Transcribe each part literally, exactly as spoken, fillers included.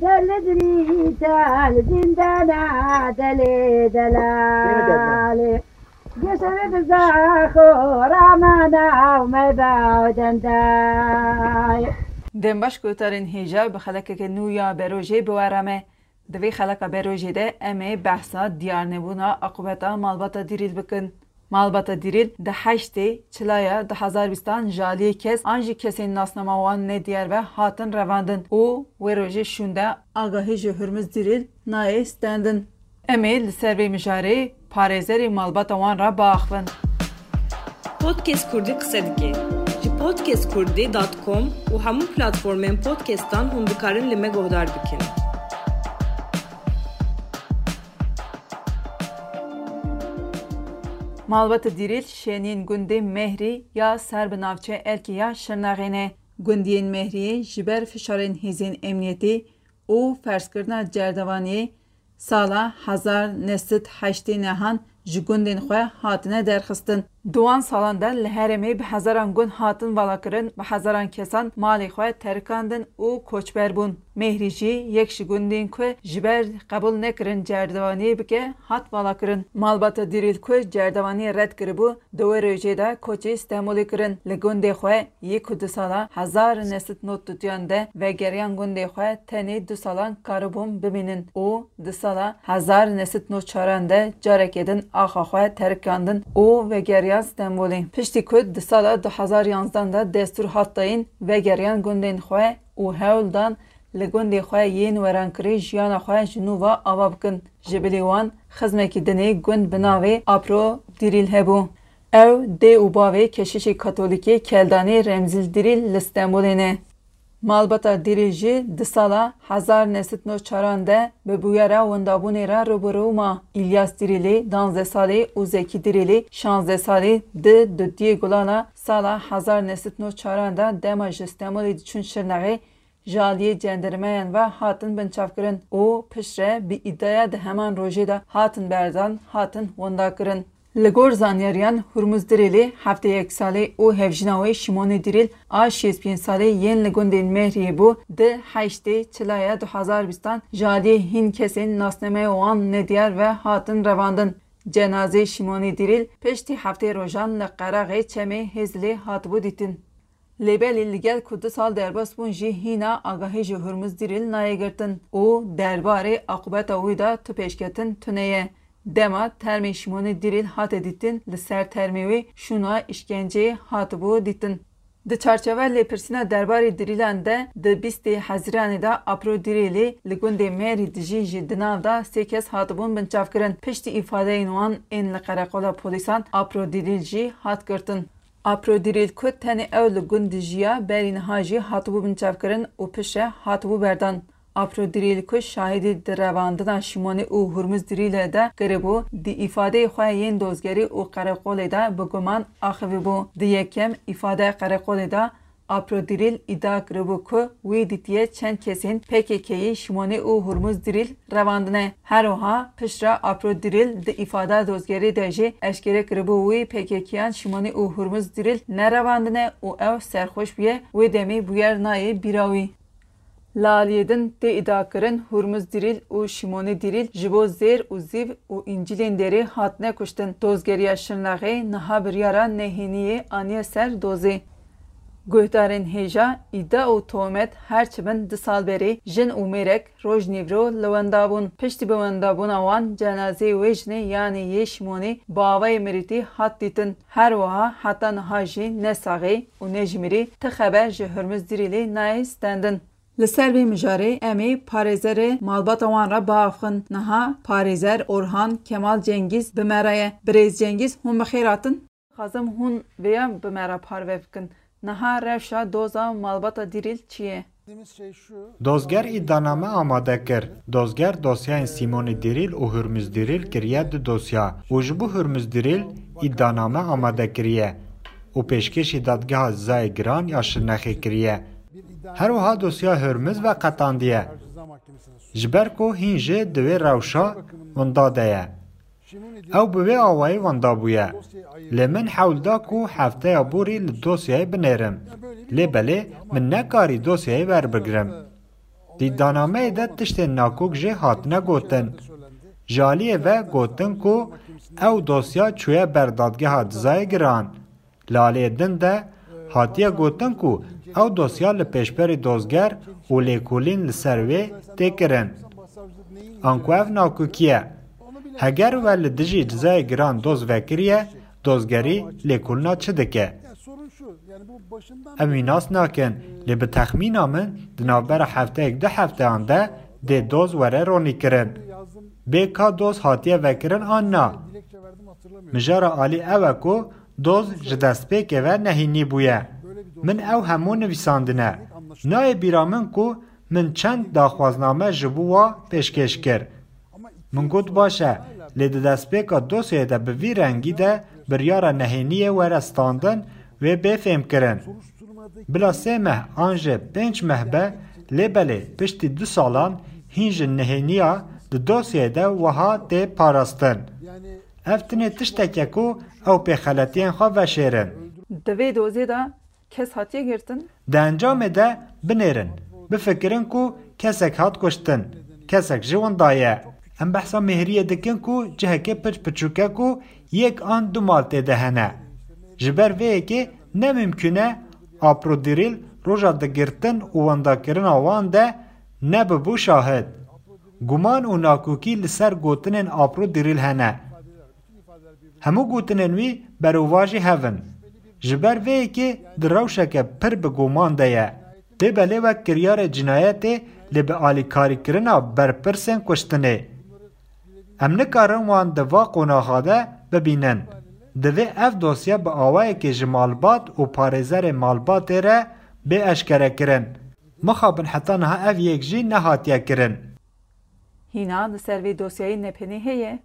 Telidrî tel zindana delê delalê. Gesere bizaxo ramana u meba dendayê. Dem baş, guhdarên hêja, bi xelekeke nû ya berojê bi we re me. Di vê xeleka berojê de em ê behsa diyarnebûna aqûbeta malbata Dîrîl bikin. Malbata Dîrîl di heştê Çilaya du hezar bîstan ji aliyê kes an jî kesên nasnama wan nediyar ve hatin revandin û wê rojê şûnde agahî ji Hurmuz Dîrîl nayê stendin. Em ê li ser vê mijarê parêzerê malbata wan re biaxivin. Podcast Kurdî qise dike. Ji podcast kurdî dot com û hemû platformên podcastan hûn dikarin li me guhdar bikin. Malbata Dîrîl şêniyên gundê Mehrî ya ser bi navçeya Erkê ya Şirnexê ne. Gundiyên Mehriyê ji ber fişarên hêzên emniyetê û ferzkirina cerdevaniyê sala hezar neh sed heştê nehan ji gundên xwe hatine derxistin. Di wan salan de li herêmê bi hezaran gund hatin valakirin, bi hezaran kesan malê xwe terikandin û koçber bûn. Mehrî jî yek ji gundên ku ji ber qebûl nekirin cerdevaniyê bike, hat valakirin. Malbata Dîrîl ku cerdevaniyê red kiribû, di wê rojê de koçê Stenbolê kirin. Li gundê xwe yê ku di sala hezar neh sed nod dutiyan de vegeriyan gundê xwe tenê du salan karibûn bimînin û di sala hezar neh sed nod çaran de careke din axa xwe terikandin û vegeriyan Stenbolê. Piştî ku di sala du hezar yanzdan de destûr hat dayîn, vegeriyan gundên xwe û hewl dan li gundê xwe yên werankirî jiyana xwe ji nû ve ava bikin. Ji bilî wan xizmekî dinê gund bi navê Apro Dîrîl hebû. Ew dê û bavê keşişê katolîkê Keldanê Remzîl Dîrîl li Stenbolê ne. Malbata Dîrîl jî di sala hezar neh sed nod çaran de bi bûyera wendabûnê re rû bi rû ma. Îlyas Dîrîlî, danzdeh salî, û Zekî Dîrîlî, şazdeh salî, di dudiyê gulana sala hezar neh sed nod çaran de dema ji Stenbolê diçûn Şirnexê, ji aliyê cendermeyan ve hatin binçavkirin û piştre bi îdiaya di heman rojê de hatin berdan, hatin windakirin. Li gor zanyariyan, Hurmuz Dirêlê heftê yek salî û hevjîna wê Şimonê Dirêl a şêst pênc salî yên li gundên Mehriyê bû, di heştê Çilaya du hezar bîstan ji aliyê hîn kesên nasnameya wan nediyar ve hatin revandin. Cenazeyê Şimonê Dirêl piştî heftê rojan li qeraxê çemê Hêzilê hatibû dîtin. Lê belê li gel ku du sal derbas bûn jî hîna agahî ji Hurmuz Dirêl nayê girtin û derbarê aqûbeta wî de tu pêşketin tune ye. Dema termê Şimonê Dirêl hate dîtin, li ser termê wê şûna îşkenceyê hatibû dîtin. Di çarçeveya lêpirsîna derbarê Dirîlan de di bîstê Hezîranê de Apro Dirêlê li gundê Mêrî dijî jî di nav de sê kes hatibûn binçavkirin. Piştî îfadeyên wan ên li qereqola polîsan Apro Dirîl jî hat girtin. Apro Dirîl ku tenê ew li gund dijiya, berî niha jî hatibû binçavkirin û piştre hatibû berdan. Apro Dirîl ku şahidî di revandina Şimonê û Hurmuz Dirîlê de kiribû, di îfadeyê xwe yên dozgerî û qereqolê de bi guman axivîbû. Di yekem îfadeya qereqolê de Apro Dirîl îdia kiribû ku wî dîtiye çend kesên P K K'yî Şimonê û Hurmuz Dirîl revandine. Her wiha piştre Apro Dirîl di îfada dozgerî de jî eşkere kiribû wî P K K'yan Şimonê û Hurmuz Dirîl nerevandine û ew serxweş bûye, wê demê bûyer nayê bîra wî. Li aliyê din tê îdiakirin Hurmuz Dirîl û Şimonê Dirîl ji bo zêr û zîv û încîlên derê hatine kuştin. Dozgeriya Şirnexê niha biryara nehêniyê aniye ser dozê. Guhdarên hêja, îdia û tohmet her çi bin du sal berê jin û mêrek roj nîvro li wenda bûn. Piştî bi wendabûna wan cenazeyê wê jinê yanî yê Şimonê bi avayê mirîtî hat dîtin. Her wiha heta niha jî ne saxî û ne ji mirî ti xeber ji Hurmuz Dirîlê nayê stendin. Li ser vê mijarê em ê parêzerê malbata wan re biaxivin. Niha parêzer Orhan Kemal Cengîz bi me re ye. Birêz Cengîz, hûn bi xêr hatin. Dixwazim hûn vêya bi me re parve bikin. Niha rewşa doza malbata Dirîl çi ye? Dozger îdianame amade kir. Dozger dosyayên Sîmonê Dirîl û Hurmuz Dirîl kiriye du dosya û ji bo Hurmuz Dirîl îdianame amade kiriye û pêşkêşî Dadgeha Cezayê Giran ya Şirnexê kiriye. Her wiha dosya Hurmuz veqetandiye. Ji ber ku hîn jî di wê rewşa winda de ye. Ew bi vê awayî wenda bûye. Lê min hewl da ku hefteya borî li dosyayê binêrim. Lê belê min nekarî dosyayê werbigirim. Di îdianameyê de tiştên nakok jî hatine gotin. Ji aliyê ve gotin ku ew dosya çûye ber dadgeha dizayê giran. Li aliyê din de hatiye gotin ku ew dosya li pêşberî dozger û lêkolîn li ser wê tê kirin. Anku ev nakokî ye. Heger we li dijî dizayê giran doz vekiriye, dozgerî lêkolîna çi dike? Em wî nas nakin, lê bi texmîna min di navbera hefteyek du hefteyan de dê doz were ronîkirin. Bê ka doz hatiye vekirin an na? Mijara alî ew e ku doz ji destpêkê ve nehênî bûye. Min ew hemû nivîsandine. Nayê bîra min ku min çend daxwazname ji bo wa pêşkêş kir. Min got baş e, lê di destpêka dosyayê de bi vî rengî de biryara nehêniyê were standin, wê bê fêmkirin. Bila sê meh an jî pênc meh be, lê belê piştî du salan hîn ji nehêniya di dosyayê de wiha tê parastin. Ev tinê tiştek e ku ew pê xeletiyên xwe veşêrin. Di vê dozê de kes hatiye girtin? Di encamê de binêrin, bifikirin ku kesek hat kuştin, kesek jî winda ye. Em behsa mêhriyê dikin ku cihekê piç piçûk e ku yek an du mal tê de hene. Ji ber vê yekê ne mimkûn e Aprodîrîl roja digirtin û wendakirina wan de nebibû şahid. Guman û nakokî li ser gotinên Aprodîrîl hene. Hemû gotinên wî berovajî hev in. Ji ber vê yekê di rewşeke pir bi guman de ye. Dê belê wek kiryarê cinayetê lê bi alîkarîkirina berpirsên kuştinê. Em nikarin wan di va qonaxa de bibînin. Divê ev dosye bi awayekê ji malbat û parêzerê malbatê re bê eşkerekirin. Mixabin heta niha ev yek jî nehatiye kirin. Hîna li ser vê dosyayê nepênê heye.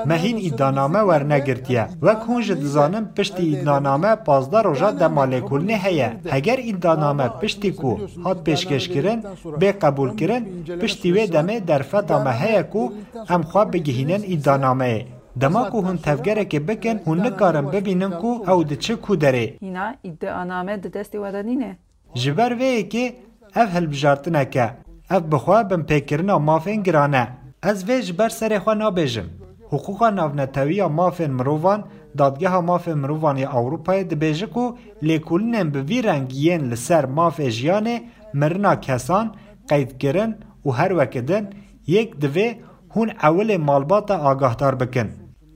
Me hîn îdianame wernegirtiye. Wek hûn jî dizanin piştî îdianame pazdeh roja dema lêkolînê heye. Heger îdianame piştî ku hat pêşkêşkirin, bê qebûlkirin, piştî wê demê derfeta me heye ku em xwe bigihînin îdianameyê. Dema ku hûn tevgerekê bikin, hûn nikarin bibînin ku ew diçe ku derê. Hîna îdianame di destê we de nîne. Ji ber vê yekê ev hilbijartinek e. Ev bi xwe binpêkirina mafên giran e. Ez vê ji ber serê xwe nabêjim. Hiqûqa Navnetewiya Mafên Mirovan, Dadgeha Mafên Mirovan ya Ewropayê dibêje ku lêkolînên bi vî rengî yên li ser mafê jiyanê, mirina kesan, qeydkirin û her weke din, yek divê hûn ewilê malbata agahdar bikin.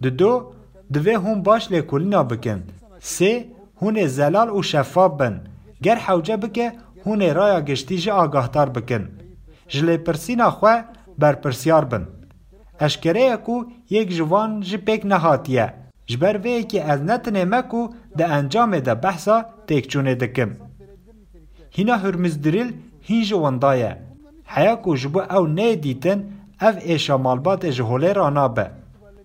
Dido, divê hûn baş lêkolîna bikin. Sê, hûn ê zelal û şeffaf bin. Ger hewce bike, hûn ê raya giştî jî agahdar bikin. Ji lêpirsîna xwe berpirsiyar bin. Eşkere ye ku yek ji van jî pêk nehatiye. Ji ber vê yekê ez ne tenê me ku di encamê de behsa têkçûnê dikim. Hîna Hurmizdirîl hîn jî winda ye. Heya ku ji bo ew neyê dîtin, ev êşa malbatê ji holê ranabe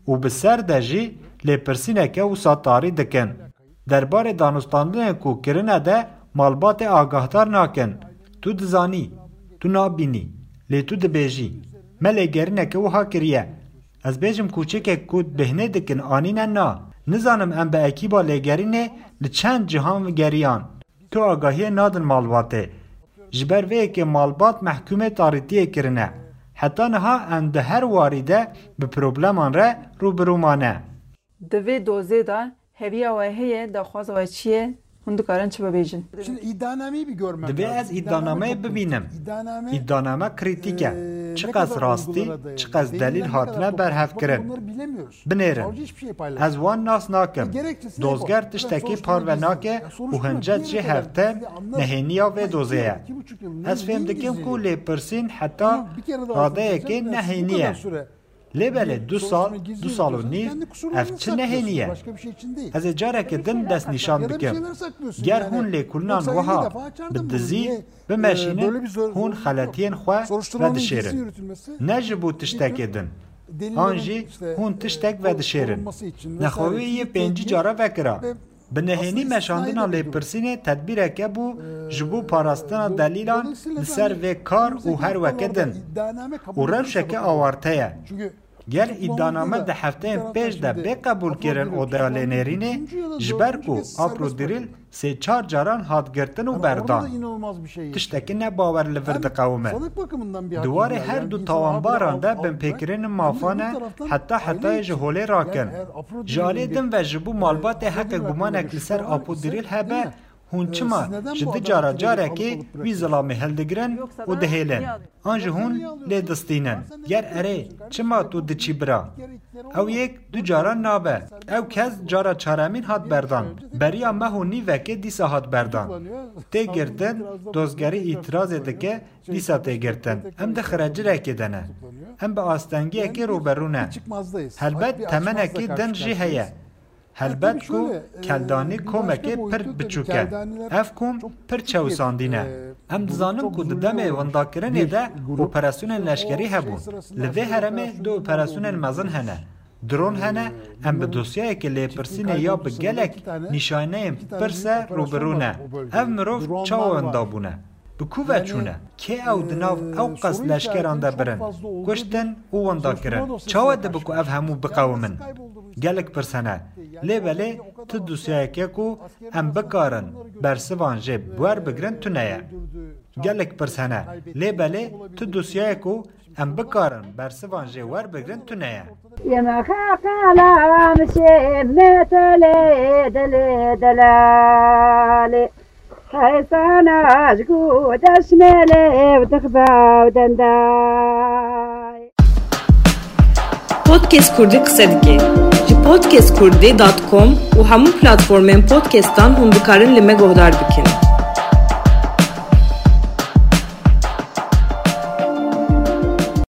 û bi ser de jî lêpirsîneke wisa tarî dikin. Derbarê danûstandinên ku kirine de malbatê agahdar nakin. Tu dizanî, tu nabînî, lê tu dibêjî, me lêgerîneke wiha kiriye. Ez bêjim kûçikek ku bêhnê dikin anîne na. Nizanim em bi ekîba lêgerînê li çend cihan geriyan. Tu agahiyê nadin malbatê. Ji ber vê yekê malbat mehkûmê tarîtiyê kirine. Heta niha em di her warî de bi probleman re rû bi rû mane. Di vê dozê de heviya we heye, daxwaza we çi ye? Hûn dikarin çi bibêjin? Şimdi iddianameyi bir görmem Divê lazım. ez îdianameyê bibînim. Îdianame krîtîk e. Çiqas rastî, çiqas delîl hatine berhevkirin. Binêrin. Ez wan nas nakim. Dozger tiştekî parve nake û hincet jê hevtem nehêniya vê dozê ye. Ez fêm dikim ku lêpirsîn heta radeyekê nehênî ye. Lê belê du sal, du sal û nîv ev çi nehênî ye? Ez ê careke din destnîşan bikim. Ger hûn lêkolînan wiha bi dizî bimeşînin, hûn xeletiyên xwe vedişêrin. Ne ji bo tiştekê din. An jî hûn tiştek vedişêrin. Nexwewiyê yê pêncî cara vekira. Bi nehênî meşandina lêpirsînê tedbîreke bû ji bo parastina delîlan li ser vê kar û her weke din. Û rewşeke awarte ye. Ger îddianame di hefteyên pêş de bê qebûlkirin odeya lênêrînê, ji ber ku Aprodîrîl sê çar caran hat girtin û berdan. Tiştekî nebawer li vir diqewime. Di warê her du tawanbaran de binpêkirinên mafan e, heta hetayê ji holê rakin. Ji aliyê din ve ji bo malbatê heqê gumanek li ser Aprodîrîl hebe, hûn çima ji di cara carekê wî zilamê hildigirin û dihêlin? An jî hûn lê distînin? Ger erê, çima tu diçî bira? Ew yek du caran nabe. Ew kes cara çaremîn hat berdan. Beriya meh û nîvekê dîsa hat berdan. Tê girtin, dozgerî îtirazê dike, dîsa tê girtin. Em di xirecirekê de ne. Em bi astengiyekê rûberû ne. Helbet temenekî din jî heye. Helbet ku Keldanî komekê pir biçûk e. Ev kom pir çewisandî ne. Em dizanin ku di demê windakirinê de operasyonên leşkerî hebûn. Li vê herêmê du operasyonên mezin hene. Dron hene, em bi dosyayeke lêpirsînê ya bi gelek nîşaneyên pirse rûbirû ne. Ev mirov çawa winda bûne? Bi ku ve çûne? Kê ew di nav ew qas leşkeran de birin, kuştin û winda kirin? Çawa dibe ku ev hemû biqewimin? Gelek pirs hene. Lê belê tu dosyayeke ku em bikarin bersivan jê werbigirin tune ye. Gelek pirs hene. Lê belê tu dosyayek ku em bikarin bersivan jê werbigirin tune ye. Yeme xeqelam şê metele dele delale. Heysana ji ku deşmele ev dixbe ew dendayê. Podcast Kurdî qise dike. Ji podcast kurdî dot com û hemû platformên podcastan hûn dikarin li me guhdar bikin.